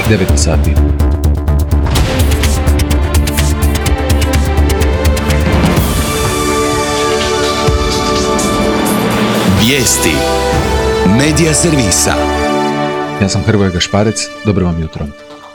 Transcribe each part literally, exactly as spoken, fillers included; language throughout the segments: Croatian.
devet sati. Vijesti Medija servisa. Ja sam Hrvoje Gašparec, dobro vam jutro.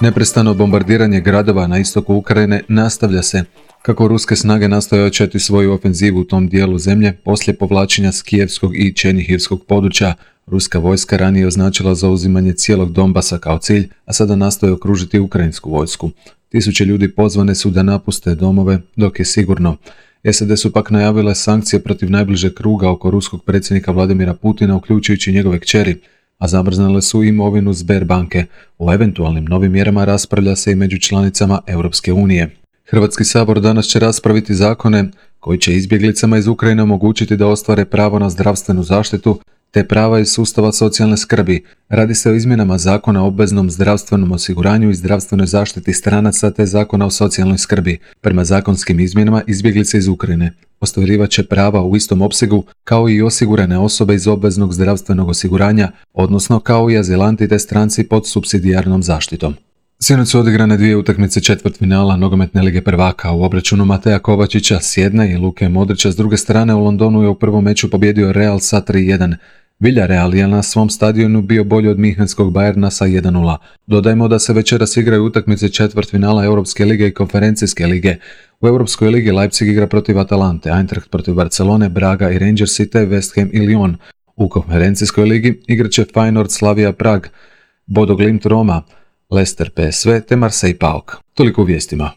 Neprestano bombardiranje gradova na istoku Ukrajine nastavlja se kako ruske snage nastoje ojačati svoju ofenzivu u tom dijelu zemlje poslije povlačenja s kijevskog i černihivskog područja. Ruska vojska ranije označila zauzimanje cijelog Donbasa kao cilj, a sada nastoje okružiti ukrajinsku vojsku. Tisuće ljudi pozvane su da napuste domove dok je sigurno. S A D su pak najavile sankcije protiv najbližeg kruga oko ruskog predsjednika Vladimira Putina, uključujući njegove kćeri, a zamrznule su imovinu Sberbanke. O eventualnim novim mjerama raspravlja se i među članicama Europske unije. Hrvatski sabor danas će raspraviti zakone koji će izbjeglicama iz Ukrajine omogućiti da ostvare pravo na zdravstvenu zaštitu te prava iz sustava socijalne skrbi. Radi se o izmjenama Zakona o obveznom zdravstvenom osiguranju i zdravstvenoj zaštiti stranaca te Zakona o socijalnoj skrbi. Prema zakonskim izmjenama izbjeglice iz Ukrajine ostvarivat će prava u istom opsegu kao i osigurane osobe iz obveznog zdravstvenog osiguranja, odnosno kao i azilanti te stranci pod supsidijarnom zaštitom. Sinoć su odigrane dvije utakmice četvrtfinala nogometne lige prvaka. U obračunu Mateja Kovačića s jedne i Luke Modrića s druge strane u Londonu je u prvom meču pobjedio Real sa tri jedan. Villarreal je na svom stadionu bio bolji od Münchenskog Bayerna sa jedan nula. Dodajmo da se večeras igraju utakmice četvrtfinala Europske lige i Konferencijske lige. U Europskoj ligi Leipzig igra protiv Atalante, Eintracht protiv Barcelone, Braga i Rangersi te West Ham i Lyon. U Konferencijskoj ligi igraće Feyenoord Slavia Prag, Bodo Glimt Roma, Leicester P S V te Marseille Paok. Toliko u vijestima.